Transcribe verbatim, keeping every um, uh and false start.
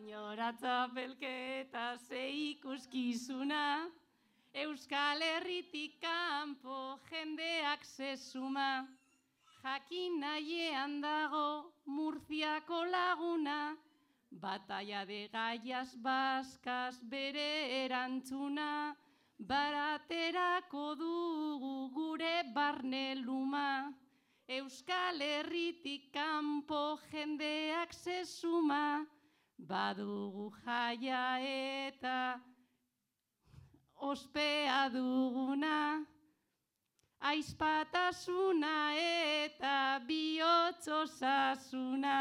Inora txapelketa ze ikuskizuna, Euskal Herritik kanpo jendeak zezuma, jakin nahiean dago Murziako laguna, Batalla de Gaias Baskaz bere erantzuna, baraterako dugu gure barne luma, Euskal Herritik kanpo jendeak zezuma, badugu jaia eta ospea duguna, aizpatasuna eta bihotz osasuna.